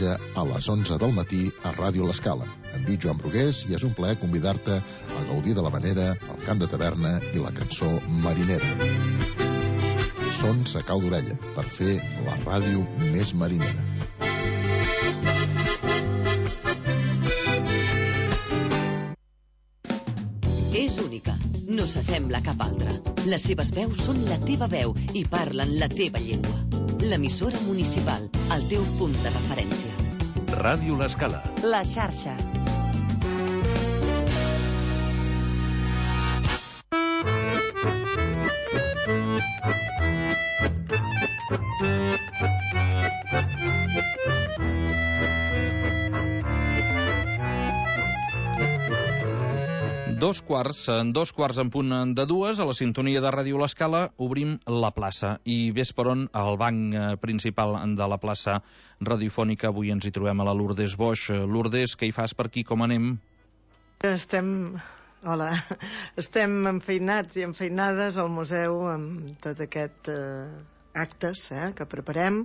diumenge a les 11 del matí a Ràdio L'Escala. Em dic Joan Brugués i és un plaer convidar-te a gaudir de la manera, el cant de taverna i la cançó marinera. Sons a cau d'orella per fer la ràdio més marinera. És única, no s'assembla a cap altra. Les seves veus són la teva veu i parlen la teva llengua. L'emissora municipal, el teu punt de referència. Ràdio L'Escala. La xarxa. Dos quarts en punt de dues, a la sintonia de Ràdio L'Escala, obrim la plaça. I ves per on, al banc principal de la plaça radiofònica, avui ens hi trobem a la Lourdes Boix. Lourdes, què hi fas per aquí, com anem? Hola, estem enfeinats i enfeinades al museu amb tot aquest actes que preparem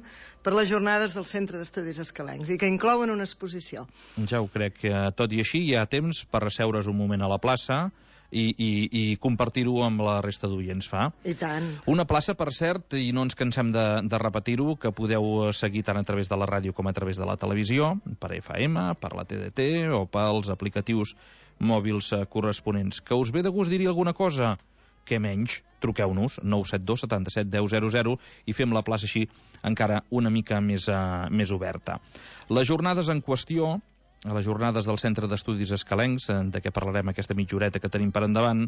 per les jornades del Centre d'Estudis Escalencs i que inclouen una exposició. Ja ho crec, tot i així hi ha temps per asseure's un moment a la plaça i compartir-ho amb la resta d'oients, fa? I tant. Una plaça, per cert, i no ens cansem de repetir-ho, que podeu seguir tant a través de la ràdio com a través de la televisió, per FM, per la TDT o pels aplicatius mòbils corresponents. Que us ve de gust dir-hi alguna cosa? Què menys, truqueu-nos 972 77 10 00 i fem la plaça així encara una mica més oberta. Les jornades en qüestió, les jornades del Centre d'Estudis Escalencs, de què parlarem aquesta mitja horeta que tenim per endavant,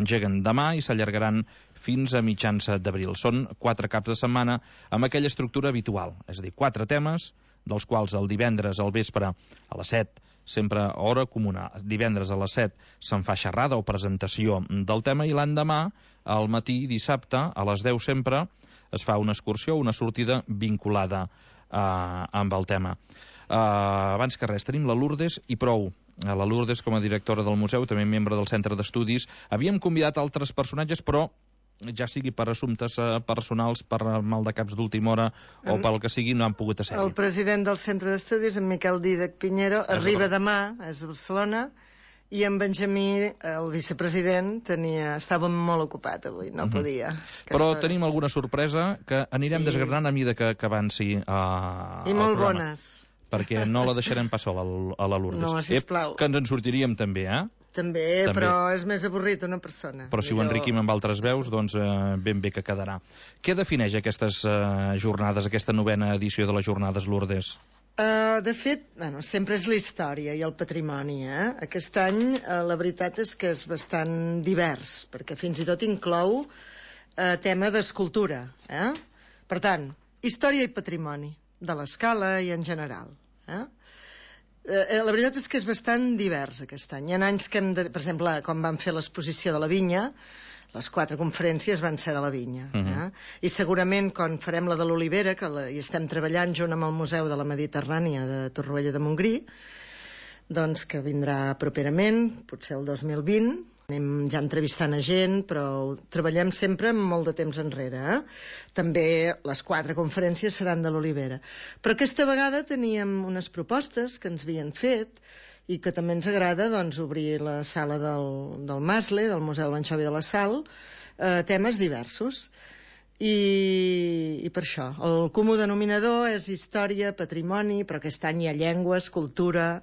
engeguen demà i s'allargaran fins a mitjans d'abril. Són 4 caps de setmana amb aquella estructura habitual, és a dir, 4 temes, dels quals el divendres al vespre a les 7 sempre hora comuna. Divendres a les 7 se'n fa xerrada o presentació del tema i l'endemà, al matí, dissabte, a les 10 sempre, es fa una excursió, una sortida vinculada amb el tema. Abans que res, tenim la Lourdes i prou. La Lourdes, com a directora del museu, també membre del Centre d'Estudis. Havíem convidat altres personatges, però ja sigui per assumptes personals, per mal de caps d'última hora o pel que sigui, no han pogut ser-hi. El president del Centre d'Estudis, en Miquel Dídac Piñero, arriba demà, és a Barcelona, i en Benjamí, el vicepresident, estava molt ocupat avui, no podia. Però tenim alguna sorpresa que anirem desgranant a mida que avanci i molt bones. Perquè no la deixarem pas sola a la Lourdes. No, sisplau. Que ens en sortiríem també, També, però és més avorrit una persona. Però si ho enriquim amb altres veus, doncs ben bé que quedarà. Què defineix aquestes jornades, aquesta 9ª edició de les jornades, Lourdes? De fet, sempre és la història i el patrimoni. Aquest any la veritat és que és bastant divers, perquè fins i tot inclou tema d'escultura. Per tant, història i patrimoni de l'Escala i en general. La veritat és que és bastant divers aquest any. Hi ha anys que per exemple, quan vam fer l'exposició de la vinya, les 4 conferències van ser de la vinya. I segurament quan farem la de l'Olivera, que hi estem treballant junt amb el Museu de la Mediterrània de Torroella de Montgrí, doncs que vindrà properament, potser el 2020, anem ja entrevistant a gent, però treballem sempre amb molt de temps enrere. També les 4 conferències seran de l'Olivera. Però aquesta vegada teníem unes propostes que ens havien fet i que també ens agrada obrir la sala del Masle, del Museu de l'Anxovi de la Sal, temes diversos. I per això, el comú denominador és història, patrimoni, però aquest any hi ha llengües, cultura,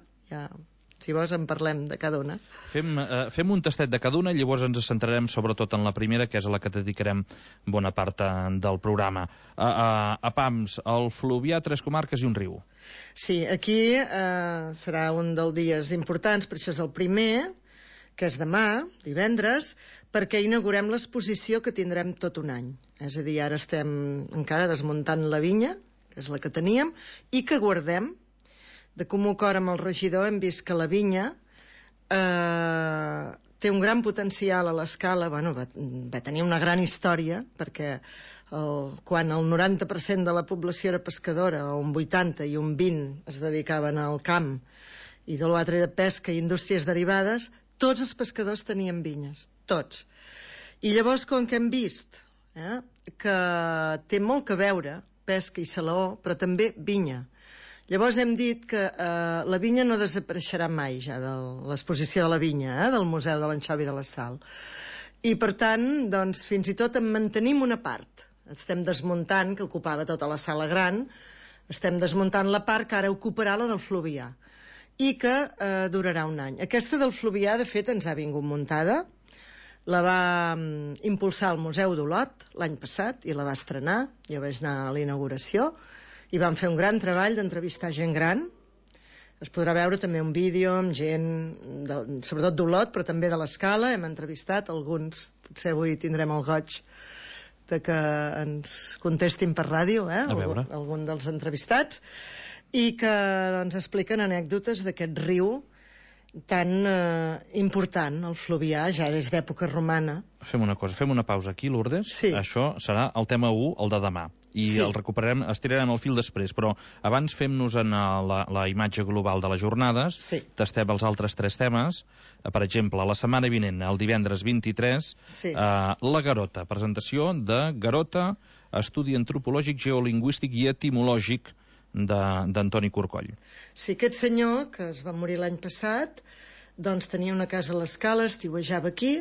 si vols en parlem de cada una. Fem un tastet de cada una i llavors ens centrarem sobretot en la primera, que és a la que dedicarem bona part del programa. A Pams, el Fluvià, 3 comarques i un riu. Sí, aquí serà un dels dies importants, per això és el primer, que és demà, divendres, perquè inaugurem l'exposició que tindrem tot un any. És a dir, ara estem encara desmuntant la vinya, que és la que teníem, i que guardem. De comú acord amb el regidor hem vist que la vinya té un gran potencial a l'Escala, va tenir una gran història, perquè quan el 90% de la població era pescadora, o un 80 i un 20 es dedicaven al camp, i de l'altre era pesca i indústries derivades, tots els pescadors tenien vinyes, tots. I llavors, com que hem vist que té molt que veure pesca i salaó, però també vinya. Llavors hem dit que la vinya no desapareixerà mai ja de l'exposició de la vinya, del Museu de l'Anxovi de la Sal. I per tant, doncs, fins i tot en mantenim una part. Estem desmuntant, que ocupava tota la sala gran, estem desmuntant la part que ara ocuparà la del Fluvià i que durarà un any. Aquesta del Fluvià, de fet, ens ha vingut muntada. La va impulsar el Museu d'Olot l'any passat i la va estrenar. Jo vaig anar a la inauguració i vam fer un gran treball d'entrevistar gent gran. Es podrà veure també un vídeo amb gent, sobretot d'Olot, però també de l'Escala. Hem entrevistat alguns, potser avui tindrem el goig de que ens contestin per ràdio, algun dels entrevistats, i que doncs, expliquen anècdotes d'aquest riu tan important, el Fluvià, ja des d'època romana. Fem una cosa, fem una pausa aquí, Lourdes. Sí. Això serà el tema 1, el de demà. I el recuperarem, estirarem el fil després, però abans fem-nos en la imatge global de les jornades, tastem els altres 3 temes. Per exemple, la setmana vinent, el divendres 23, la Garota, presentació de Garota, estudi antropològic, geolingüístic i etimològic d'Antoni Corcoll. Sí, aquest senyor, que es va morir l'any passat, doncs tenia una casa a l'Escala, estiuejava aquí,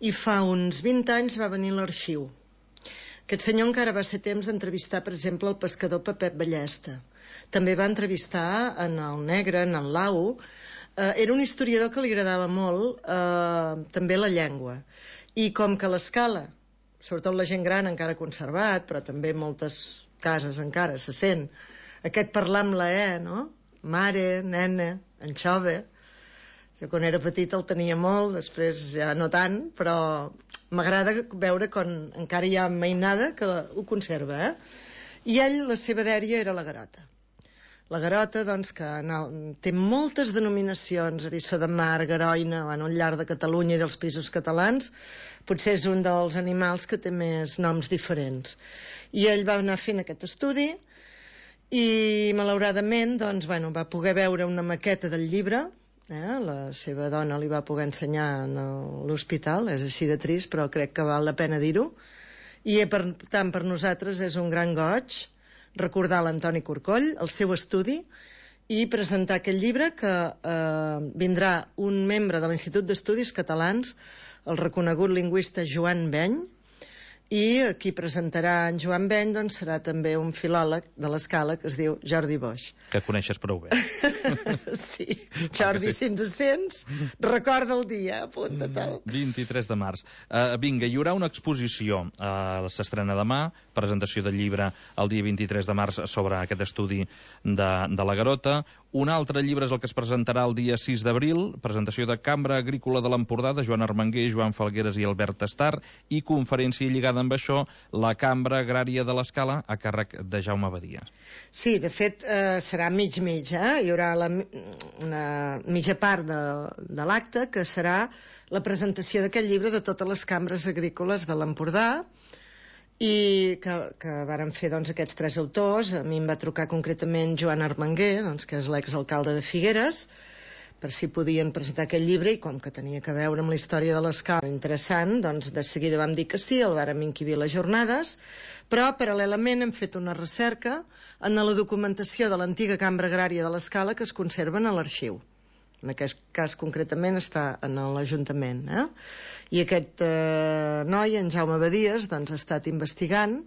i fa uns 20 anys va venir a l'arxiu. Aquest senyor encara va ser temps d'entrevistar, per exemple, el pescador Pepet Ballesta. També va entrevistar en el Negre, en el Lau. Era un historiador que li agradava molt també la llengua. I com que l'Escala, sobretot la gent gran encara ha conservat, però també moltes cases encara se sent, aquest parlar amb la E, no? Mare, nena, anxove. Jo quan era petit el tenia molt, després ja no tant, però m'agrada veure quan encara hi ha mainada que ho conserva, I ell, la seva dèria era la Garota. La Garota, doncs, que té moltes denominacions, Eriçó de Mar, Garoina, al llarg de Catalunya i dels Països Catalans, potser és un dels animals que té més noms diferents. I ell va anar fent aquest estudi i, malauradament, doncs, va poder veure una maqueta del llibre. La seva dona li va poder ensenyar a l'hospital, és així de trist, però crec que val la pena dir-ho. I, per tant, per nosaltres és un gran goig recordar l'Antoni Corcoll, el seu estudi, i presentar aquest llibre que vindrà un membre de l'Institut d'Estudis Catalans, el reconegut lingüista Joan Beny, i qui presentarà en Joan Beny doncs, serà també un filòleg de l'Escala que es diu Jordi Boix. Que coneixes prou bé. Sí, Jordi, si ens sents, recorda el dia, apunta-te'l. 23 de març. Vinga, hi haurà una exposició, s'estrena demà, presentació del llibre el dia 23 de març sobre aquest estudi de la Garota. Un altre llibre és el que es presentarà el dia 6 d'abril, presentació de Cambra Agrícola de l'Empordà, de Joan Armenguer, Joan Falgueres i Albert Estar, i conferència lligada amb això, la Cambra Agrària de l'Escala, a càrrec de Jaume Badia. Sí, de fet, serà mig-mig, Hi haurà una mitja part de l'acte, que serà la presentació d'aquest llibre de totes les cambres agrícoles de l'Empordà, i que varen fer aquests 3 autors. A mi em va trucar concretament Joan Armenguer, que és l'exalcalde de Figueres, per si podien presentar aquest llibre, i com que tenia que veure amb la història de l'Escala interessant, doncs de seguida vam dir que sí, el vàrem inquibir les jornades, però paral·lelament hem fet una recerca en la documentació de l'antiga Cambra Agrària de l'Escala que es conserven a l'arxiu. En aquest cas concretament està en l'Ajuntament. I aquest noi, en Jaume Badies, ha estat investigant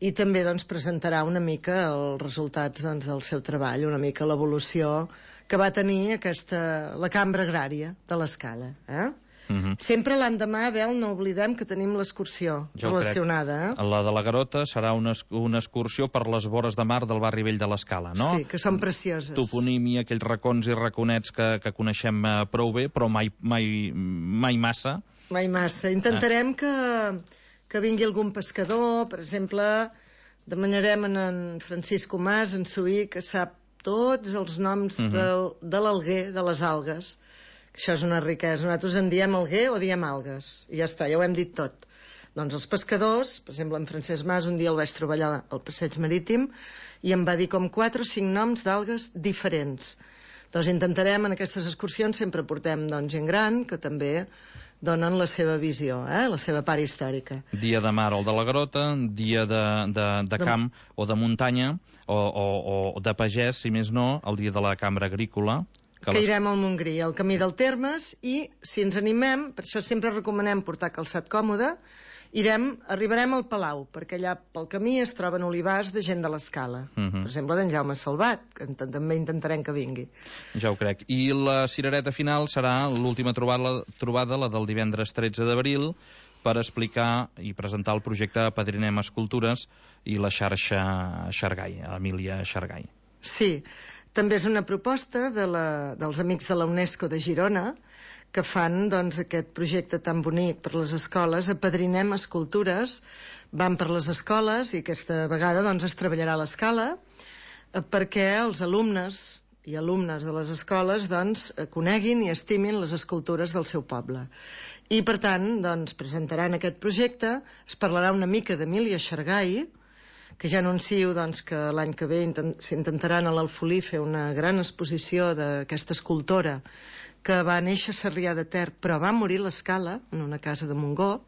i també presentarà una mica els resultats del seu treball, una mica l'evolució que va tenir la Cambra Agrària de l'Escala. Sempre l'endemà, Abel, no oblidem que tenim l'excursió relacionada. La de la Garota serà una excursió per les vores de mar del barri vell de l'Escala, no? Sí, que són precioses. Toponímia, aquells racons i raconets que coneixem prou bé, però mai massa. Mai massa. Intentarem que vingui algun pescador, per exemple, demanarem en Francisco Mas, en Suí, que sap tots els noms de l'alguer, de les algues. Això és una riquesa. Nosaltres en diem alguer o diem algues. I ja està, ja ho hem dit tot. Doncs els pescadors, per exemple, en Francesc Mas, un dia el vaig trobar allà al passeig marítim i em va dir com 4 o 5 noms d'algues diferents. Doncs intentarem, en aquestes excursions, sempre portem gent gran, que també donen la seva visió, la seva part històrica. Dia de mar o de la grota, dia de camp o de muntanya, o de pagès, si més no, el dia de la cambra agrícola. Que irem al Montgrí, al camí del Termes, i si ens animem, per això sempre recomanem portar calçat còmode, arribarem al Palau, perquè allà pel camí es troben olivars de gent de l'Escala. Per exemple, d'en Jaume Salvat, que també intentarem que vingui. Ja ho crec. I la cirereta final serà l'última trobada, la del divendres 13 d'abril, per explicar i presentar el projecte Apadrinem Escultures i la xarxa Xargai, Emília Xargai. Sí, també és una proposta dels amics de la UNESCO de Girona, que fan aquest projecte tan bonic per les escoles. Apadrinem Escultures, van per les escoles, i aquesta vegada es treballarà a l'escala perquè els alumnes i alumnes de les escoles coneguin i estimin les escultures del seu poble. I per tant presentaran aquest projecte, es parlarà una mica d'Emília Xargai, que ja anuncio que l'any que ve s'intentaran a l'Alfolí fer una gran exposició d'aquesta escultora que va néixer a Sarrià de Ter, però va morir a l'Escala, en una casa de Montgó,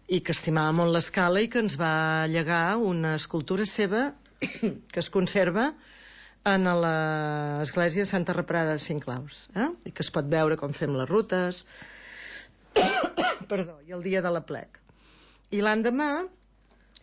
i que estimava molt l'Escala i que ens va llegar una escultura seva que es conserva en l'església de Santa Reparada de Cinclaus, i que es pot veure com fem les rutes, i el dia de l'Aplec. I l'endemà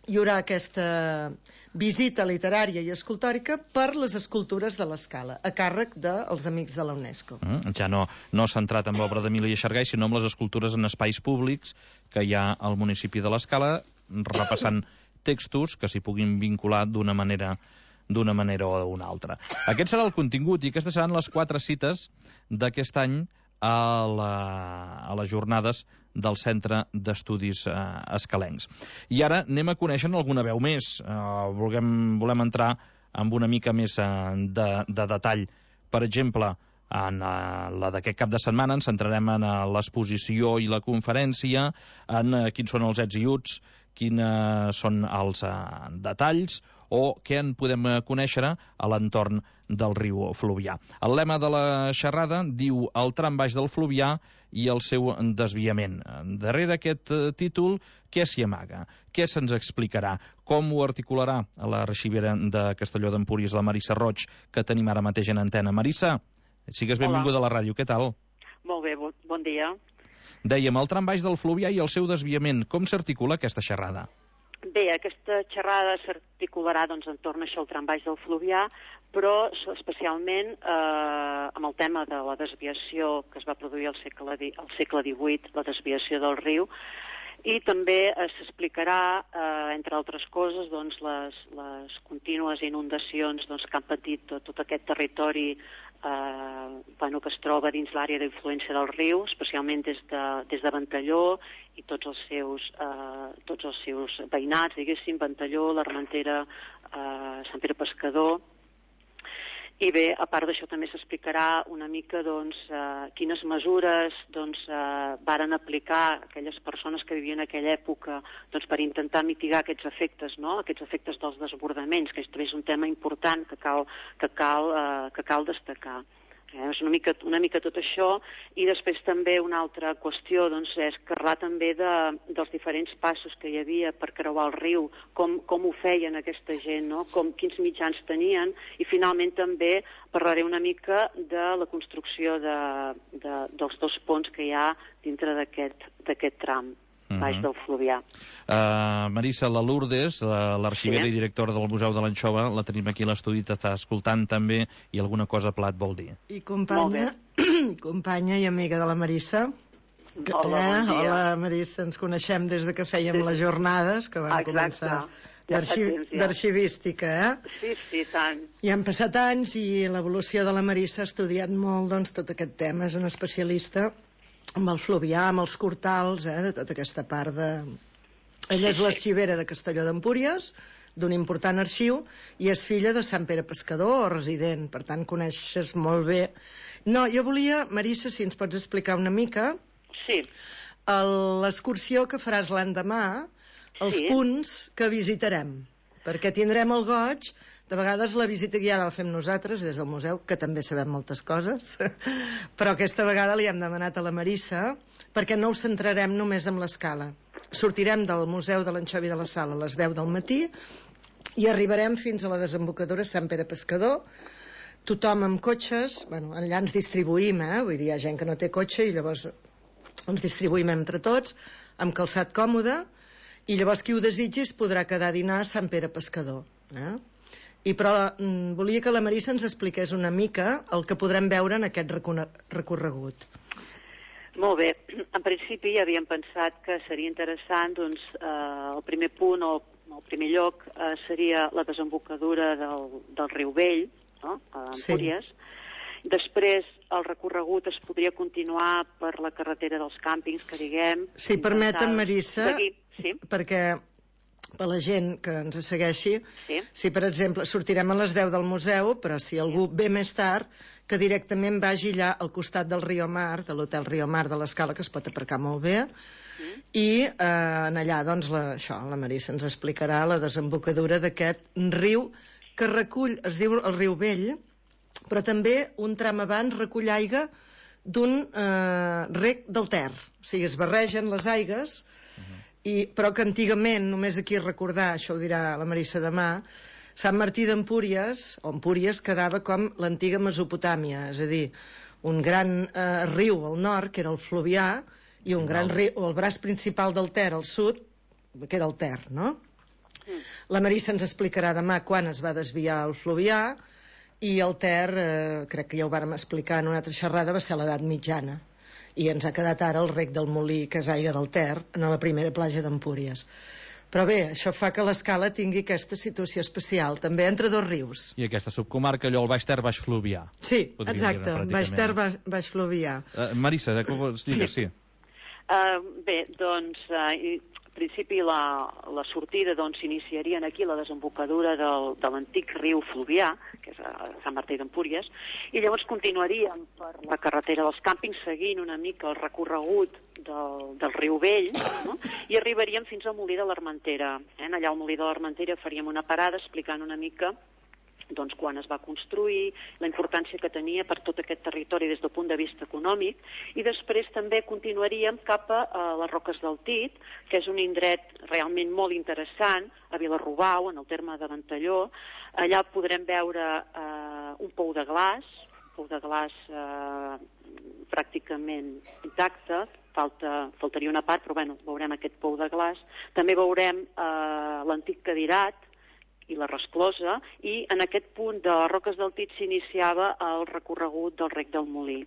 hi haurà aquesta visita literària i escultòrica per les escultures de l'Escala, a càrrec dels amics de la UNESCO. Ja no centrat en l'obra d'Emília Xargai, sinó en les escultures en espais públics que hi ha al municipi de l'Escala, repassant textos que s'hi puguin vincular d'una manera o d'una altra. Aquest serà el contingut, i aquestes seran les 4 cites d'aquest any a les jornades del Centre d'Estudis Escalencs. I ara anem a conèixer alguna veu més. Volem entrar amb una mica més de detall. Per exemple, en la d'aquest cap de setmana ens centrarem en l'exposició i la conferència, en quins són els ets i uts, quins són els detalls, o què en podem conèixer a l'entorn del riu Fluvià. El lema de la xerrada diu el tram baix del Fluvià i el seu desviament. Darrere aquest títol, què s'hi amaga? Què se'ns explicarà? Com ho articularà a la arxivera de Castelló d'Empúries, la Marissa Roig, que tenim ara mateix en antena? Marissa, sigues benvinguda a la ràdio, què tal? Molt bé, bon dia. Dèiem, el tram baix del Fluvià i el seu desviament. Com s'articula aquesta xerrada? Bé, aquesta xerrada s'articularà entorn a això, el tram baix del Fluvià, però especialment amb el tema de la desviació que es va produir al segle XVIII, la desviació del riu, i també s'explicarà, entre altres coses, les contínues inundacions que han patit tot aquest territori que es troba dins l'àrea d'influència del riu, especialment des de Ventalló i tots els seus veïnats, diguéssim, Ventalló, l'Armentera, Sant Pere Pescador. I bé, a part d'això també s'explicarà una mica quines mesures varen aplicar aquelles persones que vivien en aquella època per intentar mitigar aquests efectes, aquests efectes dels desbordaments, que és un tema important que cal destacar. És una mica tot això, i després també una altra qüestió és parlar també dels diferents passos que hi havia per creuar el riu, com ho feien aquesta gent, quins mitjans tenien, i finalment també parlaré una mica de la construcció dels 2 ponts que hi ha dintre d'aquest tram baix del Fluvià. Marissa, la Lourdes, l'arxivera i directora del Museu de l'Anxova, la tenim aquí a l'estudi, t'està escoltant també, i alguna cosa plat vol dir. I companya i amiga de la Marissa. Hola, bon dia. Hola, Marissa, ens coneixem des que fèiem les jornades, que van començar d'arxivística, Sí, tant. I han passat anys i l'evolució de la Marissa ha estudiat molt tot aquest tema, és una especialista amb el Fluvià, amb els cortals, de tota aquesta part de... Ella és l'arxivera de Castelló d'Empúries, d'un important arxiu, i és filla de Sant Pere Pescador, o resident, per tant coneixes molt bé. No, jo volia, Marissa, si ens pots explicar una mica... Sí. L'excursió que faràs l'endemà, els punts que visitarem, perquè tindrem el goig De vegades la visita guiada la fem nosaltres, des del museu, que també sabem moltes coses, però aquesta vegada li hem demanat a la Marissa, perquè no ho centrarem només en l'escala. Sortirem del Museu de l'Anxovi de la Sal a les 10 del matí i arribarem fins a la desembocadura Sant Pere Pescador, tothom amb cotxes, bueno, allà ens distribuïm, vull dir, hi ha gent que no té cotxe i llavors ens distribuïm entre tots, amb calçat còmode, i llavors qui ho desitgi es podrà quedar a dinar a Sant Pere Pescador. Però volia que la Marissa ens expliqués una mica el que podrem veure en aquest recorregut. Molt bé. En principi havíem pensat que seria interessant, doncs, el primer punt o el primer lloc seria la desembocadura del riu Vell, no?, a Empúries. Sí. Després el recorregut es podria continuar per la carretera dels càmpings, que diguem... Sí, permetem, Marissa, sí, perquè per la gent que ens segueixi, sí. Si per exemple sortirem a les 10 del museu, però si algú ve més tard, que directament vagi allà al costat del Riomar, de l'hotel Riomar de l'Escala, que es pot aparcar molt bé, i en allà, doncs, la Marissa ens explicarà la desembocadura d'aquest riu que recull, es diu el riu Vell, però també un tram abans recull aigua d'un rec del Ter. O sigui, es barregen les aigues, però que antigament, només aquí recordar, això ho dirà la Marissa demà, Sant Martí d'Empúries, o Empúries, quedava com l'antiga Mesopotàmia, és a dir, un gran riu al nord, que era el Fluvià, i un gran riu, el braç principal del Ter al sud, que era el Ter, no? La Marissa ens explicarà demà quan es va desviar el Fluvià, i el Ter, crec que ja ho vàrem explicar en una altra xerrada, va ser a l'edat mitjana, i ens ha quedat ara el rec del Molí, que és aigua del Ter, en la primera platja d'Empúries. Però bé, això fa que l'Escala tingui aquesta situació especial, també entre dos rius. I aquesta subcomarca, allò, el Baix Ter, Baix Fluvià. Sí, exacte, Baix Ter, Baix Fluvià. Marissa, què vols dir? Sí. Bé, doncs, en principi la sortida s'iniciaria aquí, la desembocadura de l'antic riu Fluvià, que és a Sant Martí d'Empúries, i llavors continuaríem per la carretera dels càmpings seguint una mica el recorregut del riu Vell, no?, i arribaríem fins al Molí de l'Armentera. Allà al Molí de l'Armentera faríem una parada explicant una mica doncs, quan es va construir, la importància que tenia per tot aquest territori des del punt de vista econòmic, i després també continuaríem cap a les Roques del Tit, que és un indret realment molt interessant, a Vilarrobau, en el terme de Ventalló. Allà podrem veure un pou de glaç pràcticament intacte, faltaria una part, però bueno, veurem aquest pou de glaç. També veurem l'antic cadirat i la resclosa, i en aquest punt de les Roques del Tit s'iniciava el recorregut del rec del Molí.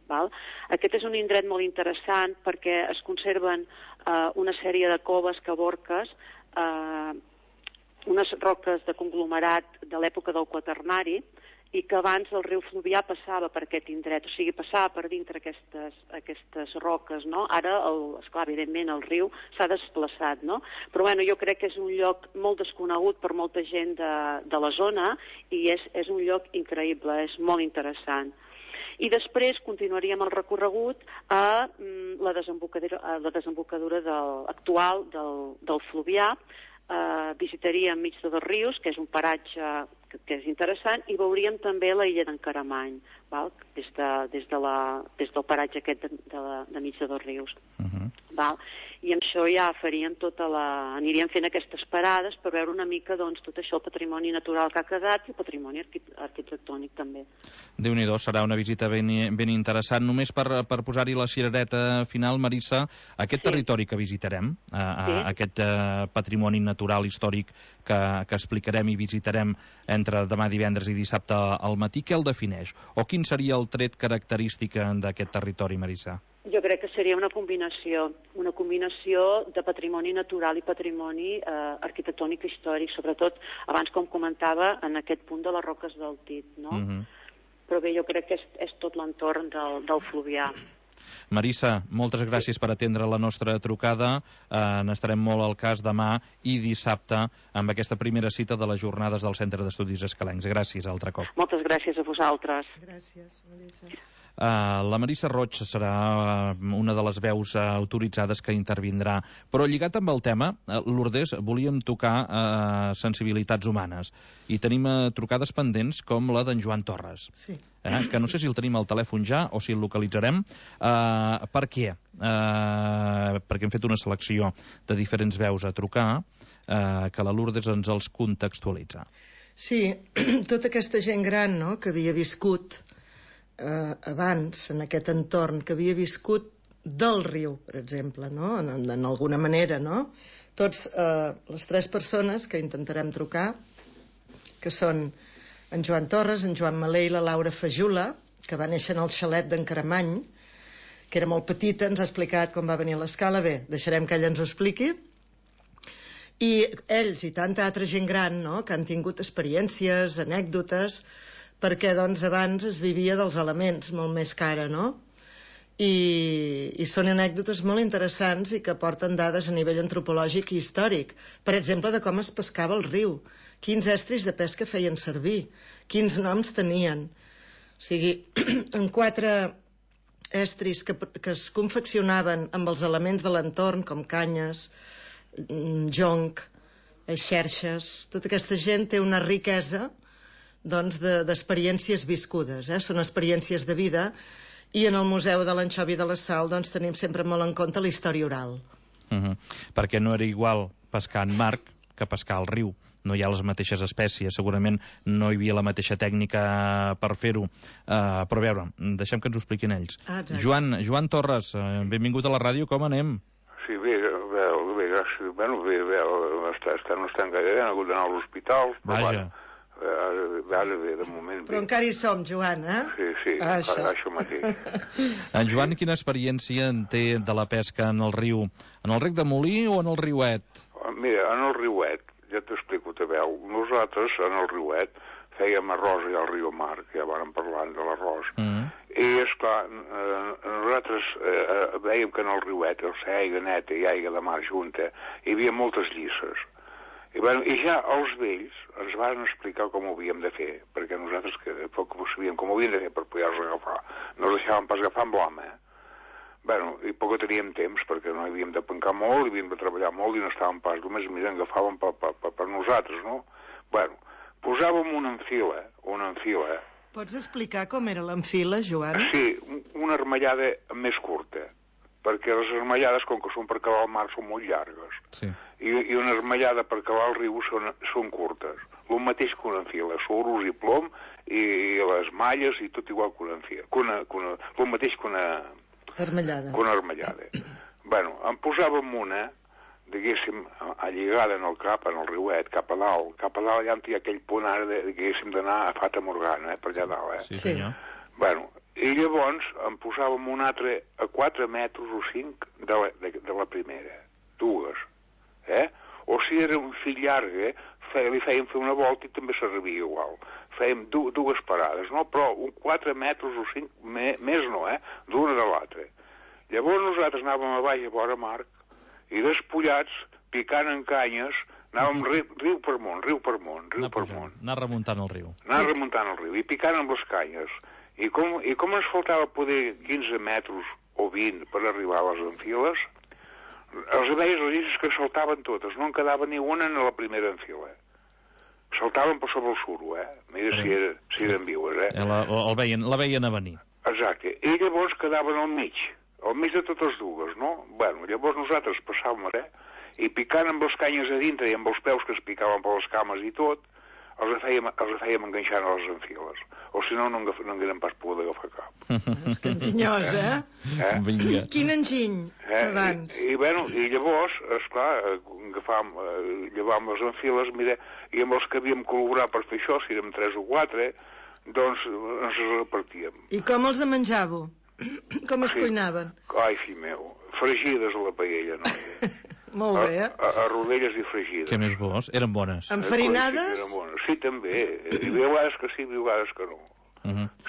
Aquest és un indret molt interessant perquè es conserven una sèrie de coves, caborques, unes roques de conglomerat de l'època del Quaternari, i que abans el riu Fluvià passava per aquest indret, o sigui, passava per dintre aquestes roques, no? Ara, esclar, evidentment, el riu s'ha desplaçat, no? Però, bueno, jo crec que és un lloc molt desconegut per molta gent de la zona, i és un lloc increïble, és molt interessant. I després continuaríem el recorregut a la desembocadura actual del Fluvià. Visitaríem Mig de dos Rius, que és un paratge que és interessant, i veuríem també la illa d'en Caramany, des del paratge aquest de Mig de dos Rius. I amb això ja faríem aniríem fent aquestes parades per veure una mica tot això, el patrimoni natural que ha quedat i el patrimoni arquitectònic també. Déu-n'hi-do, serà una visita ben interessant. Només per posar-hi la cirereta final, Marissa, aquest territori que visitarem, aquest patrimoni natural històric que explicarem i visitarem entre demà divendres i dissabte al matí, què el defineix? O quin seria el tret característic d'aquest territori, Marissa? Jo crec que seria una combinació de patrimoni natural i patrimoni arquitectònic i històric, sobretot, abans com comentava, en aquest punt de les Roques del Tit, no? Però bé, jo crec que és tot l'entorn del Fluvià. Marissa, moltes gràcies per atendre la nostra trucada. N'estarem molt al cas demà i dissabte amb aquesta primera cita de les jornades del Centre d'Estudis Escalencs. Gràcies altre cop. Moltes gràcies a vosaltres. Gràcies, Marissa. La Marissa Roig serà una de les veus autoritzades que intervindrà. Però lligat amb el tema, Lourdes, volíem tocar sensibilitats humanes. I tenim trucades pendents com la d'en Joan Torres. Sí. Que no sé si el tenim al telèfon ja o si el localitzarem. Per què? Perquè hem fet una selecció de diferents veus a trucar, que la Lourdes ens els contextualitza. Sí, tota aquesta gent gran, no?, que havia viscut abans en aquest entorn, que havia viscut del riu, per exemple, no?, en alguna manera, no? Tots les 3 persones que intentarem trucar, que són en Joan Torres, en Joan Malé i la Laura Fajula, que va néixer en el xalet d'en Caramany, que era molt petita, ens ha explicat com va venir a l'escala. Bé, deixarem que ella ens ho expliqui. I ells i tanta altra gent gran, no?, que han tingut experiències, anècdotes, perquè doncs abans es vivia dels elements molt més que ara, no? I són anècdotes molt interessants i que porten dades a nivell antropològic i històric. Per exemple, de com es pescava el riu, quins estris de pesca feien servir, quins noms tenien. O sigui, en 4 estris que es confeccionaven amb els elements de l'entorn, com canyes, jonc, xerxes. Tota aquesta gent té una riquesa doncs, d'experiències viscudes, són experiències de vida, i en el Museu de l'Anxovi de la Sal doncs, tenim sempre molt en compte la història oral. Perquè no era igual pescar en mar que pescar al riu. No hi ha les mateixes espècies, segurament no hi havia la mateixa tècnica per fer-ho. Però a veure, deixem que ens ho expliquin ells. Joan Torres, benvingut a la ràdio, com anem? Sí, bé, gràcies. Bé, no estan gaire, han hagut d'anar a l'hospital. Vaja. Ara bé, de moment bé. Però encara hi som, Joan, Sí, això mateix. En Joan, quina experiència en té de la pesca en el riu? En el rec de Molí o en el riuet? Mira, en el riuet, ja t'explico, te veu. Nosaltres, en el riuet, fèiem arròs i al riu Mar, que ja vàrem parlant de l'arròs. I, esclar, nosaltres veiem que en el riuet, o sigui, aigua neta i aigua de mar junta, hi havia moltes llisses. I ja els vells ens van explicar com ho havíem de fer, perquè nosaltres poc ho sabíem com ho havíem de fer per poder-los agafar. No els deixàvem pas agafar amb l'home, i poc teníem temps, perquè no havíem de pencar molt, havíem de treballar molt i no estàvem pas, només agafàvem per nosaltres, no? Posàvem una enfila. Pots explicar com era l'enfila, Joan? Sí, una armellada més curta, perquè les armellades, com que són per calar el mar, són molt llargues. Sí. I una armellada per calar el riu són curtes. El mateix que una enfila, suros i plom, i les malles, i tot igual que una enfila. El mateix que una armellada. En posàvem una, diguéssim, alligada en el cap, en el riuet, cap a dalt. Cap a dalt ja hi ha aquell punt ara, diguéssim, d'anar a Fata Morgana, per allà dalt, Sí, senyor. I llavors en posàvem un altre a 4 metres o 5 de la primera. 2. O si era un fil llarg, li fèiem fer una volta i també servia igual. Fèiem 2 parades, no? Però 4 metres o 5, més no, d'una de l'altra. Llavors nosaltres anàvem a baix a vora mar i despullats, picant en canyes, anàvem riu per món. Anar remuntant el riu. I picant amb les canyes. I com ens faltava poder 15 metres o 20 per arribar a les enfiles, els veies les llisses que saltaven totes, no en quedava ni una en la primera enfila. Saltaven per sobre el suro, Mira si eren vives, La veien a venir. Exacte. I llavors quedaven al mig de totes dues, no? Llavors nosaltres passàvem, i picant amb les canyes a dintre i amb els peus que es picaven per les cames i tot, els fèiem enganxant a les enfiles. O si no haguérem pas pogut agafar cap. És que enginyós, Vinga. Quin enginy, abans. I llavors, esclar, llevàvem les enfiles, mira, i amb els que havíem col·laborat per fer això, si érem 3 o 4, doncs ens els repartíem. I com els menjàveu? Com es cuinaven? Ai, fill meu, fregides a la paella, noia. Molt bé, A rodelles i fregides. Què més bo? Eren bones. Enfarinades? Sí, també. Hi havia vegades que sí, hi havia vegades que no.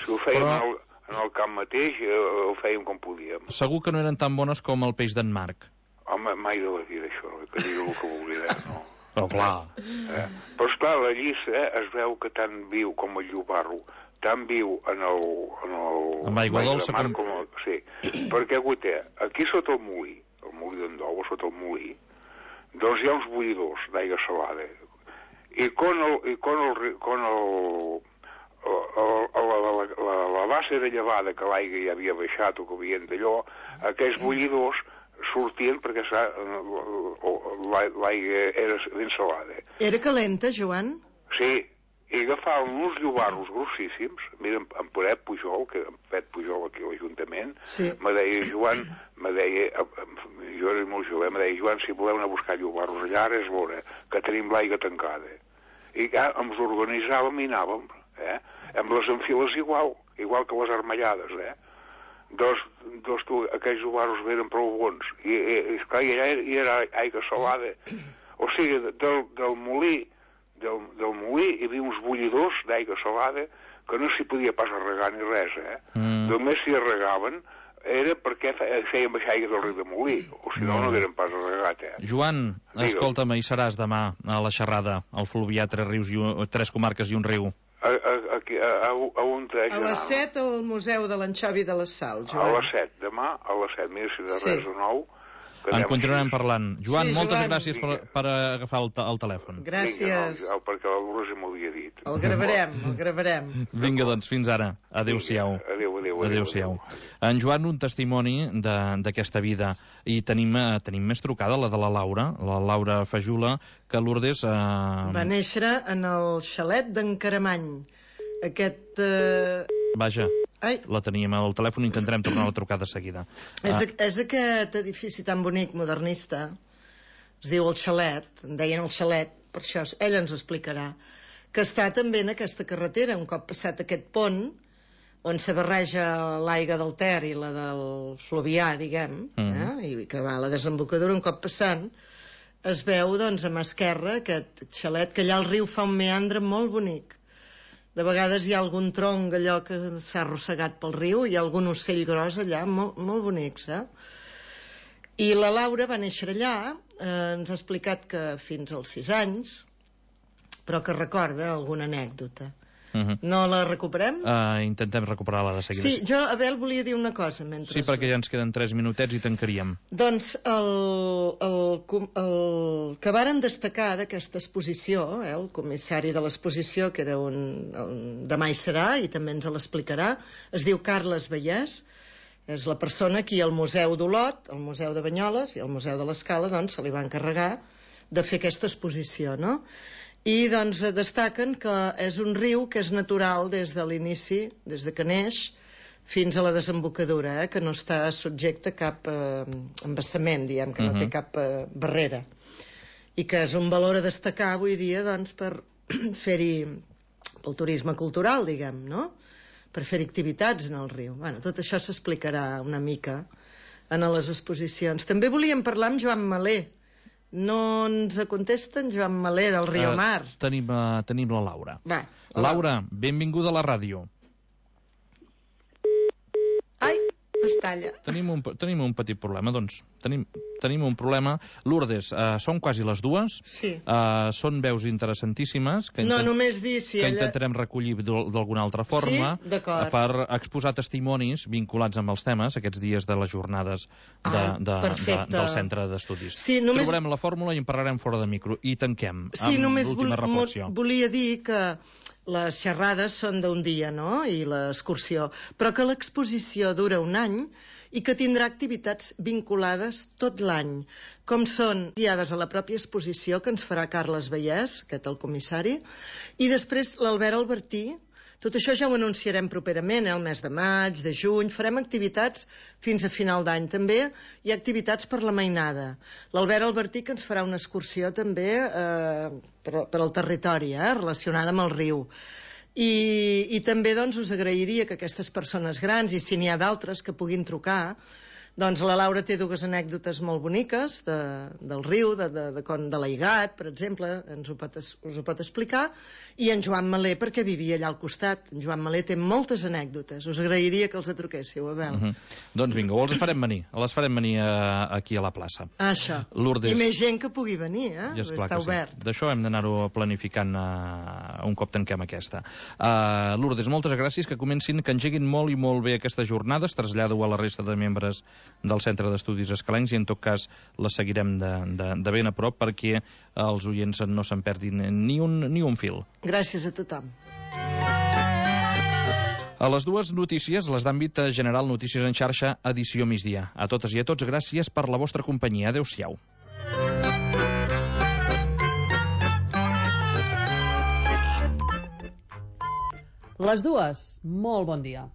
Si ho fèiem en el camp mateix, ho fèiem com podíem. Segur que no eren tan bones com el peix d'en Marc. Home, mai de la vida, això, que digui el que vulgui, no? Però clar. Però esclar, la llissa es veu que tant viu com el llobarro tan viu en el amb aigua dolça mar com... Sí, perquè aquí sota el molí d'en Dou, sota el molí, doncs hi ha uns bullidors d'aigua salada. I la base de llevada que l'aigua ja havia baixat o que havien d'allò, aquells bullidors sortien perquè l'aigua era ben salada. Era calenta, Joan? Sí, i agafaven uns llobarros grossíssims. Mira, en Peret Pujol, que en Pet Pujol aquí a l'Ajuntament, me deia, Joan, jo era molt jove, me deia, Joan, si voleu anar a buscar llobarros allà, ara és l'hora, que tenim l'aigua tancada. I ens organitzàvem i anàvem, amb les enfiles igual que les armellades, Doncs aquells llobarros eren prou bons. I esclar, allà hi era aigua salada. O sigui, del molí hi havia uns bullidors d'aigua salada que no s'hi podia pas regar ni res, Només s'hi regaven era perquè feien baixar aigua del riu de Molí, o si no, no eren pas regat, Joan, escolta'm, hi seràs demà a la xerrada, al Fluvià, 3 comarques i un riu. A les 7 al Museu de l'Anxovi de la Sal, Joan. A les 7, demà a les 7, mira si de res de nou. En continuarem parlant. Joan, moltes gràcies per agafar el telèfon. Gràcies. Perquè la Lourdes m'ho havia dit. El gravarem. Vinga, doncs, fins ara. Adéu-siau. Adéu-siau. En Joan, un testimoni d'aquesta vida. I tenim més trucada, la de la Laura Fajula, que Lourdes... Va néixer en el xalet d'en Caramany. Vaja. La teníem al telèfon, intentarem tornar a la trucada de seguida. És aquest edifici tan bonic, modernista, es diu el Xalet, en deien el Xalet, per això ell ens ho explicarà, que està també en aquesta carretera, un cop passat aquest pont, on se barreja l'aigua del Ter i la del Fluvià, diguem, i que va a la desembocadura, un cop passant, es veu, doncs, a mà esquerra, aquest xalet, que allà el riu fa un meandre molt bonic. De vegades hi ha algun tronc allò que s'ha arrossegat pel riu, hi ha algun ocell gros allà, molt bonics, I la Laura va néixer allà, ens ha explicat que fins als 6 anys, però que recorda alguna anècdota. No la recuperem? Intentem recuperar-la de seguida. Sí, jo, Abel, volia dir una cosa mentre... Sí, perquè ja ens queden 3 minutets i tancaríem. Doncs el que varen destacar d'aquesta exposició, el comissari de l'exposició, que era demà hi serà i també ens l'explicarà, es diu Carles Vallès, és la persona que al Museu d'Olot, al Museu de Banyoles i al Museu de l'Escala, doncs, se li va encarregar de fer aquesta exposició, no? I doncs destaquen que és un riu que és natural des de l'inici, des de que neix, fins a la desembocadura, que no està subjecte a cap embassament, diguem, que no té cap barrera. I que és un valor a destacar avui dia, doncs, per fer-hi pel turisme cultural, diguem, no? Per fer activitats en el riu. Bueno, tot això s'explicarà una mica en les exposicions. També volíem parlar amb Joan Malé. No ens contesten Joan Malé del Riomar. Tenim la Laura. Va. Laura, benvinguda a la ràdio. Ai, es talla. Tenim un petit problema, doncs. Tenim un problema. Lourdes, són quasi les 2. Sí. Són veus interessantíssimes que només dir si que intentarem recollir d'alguna altra forma per exposar testimonis vinculats amb els temes aquests dies de les jornades del centre d'estudis. Sí, trobarem la fórmula i en parlarem fora de micro i tanquem amb l'última reflexió. Volia dir que les xerrades són d'un dia, no?, i l'excursió, però que l'exposició dura un any i que tindrà activitats vinculades tot l'any, com són guiades a la pròpia exposició que ens farà Carles Vallès, aquest el comissari, i després l'Albert Albertí. Tot això ja ho anunciarem properament, el mes de maig, de juny, farem activitats fins a final d'any. També hi ha activitats per la mainada. L'Albert Albertí que ens farà una excursió també per al territori, relacionada amb el riu. I també doncs, us agrairia que aquestes persones grans, i si n'hi ha d'altres que puguin trucar, Doncs la Laura té dues anècdotes molt boniques del riu, de l'Aigat, per exemple, us ho pot explicar, i en Joan Malé, perquè vivia allà al costat. En Joan Malé té moltes anècdotes. Us agrairia que els truquéssiu, Abel. Doncs vinga, els farem venir. Les farem venir aquí a la plaça. Això. Lourdes. I més gent que pugui venir, Està obert. D'això hem d'anar-ho planificant un cop tanquem aquesta. Lourdes, moltes gràcies, que engeguin molt i molt bé aquestes jornades. Trasllado a la resta de membres del Centre d'Estudis Escalencs i en tot cas les seguirem de ben a prop perquè els oients no se'n perdin ni un fil. Gràcies a tothom. A les dues notícies, les d'àmbit general, Notícies en xarxa, edició migdia. A totes i a tots, gràcies per la vostra companyia. Adéu-siau. Les dues, molt bon dia.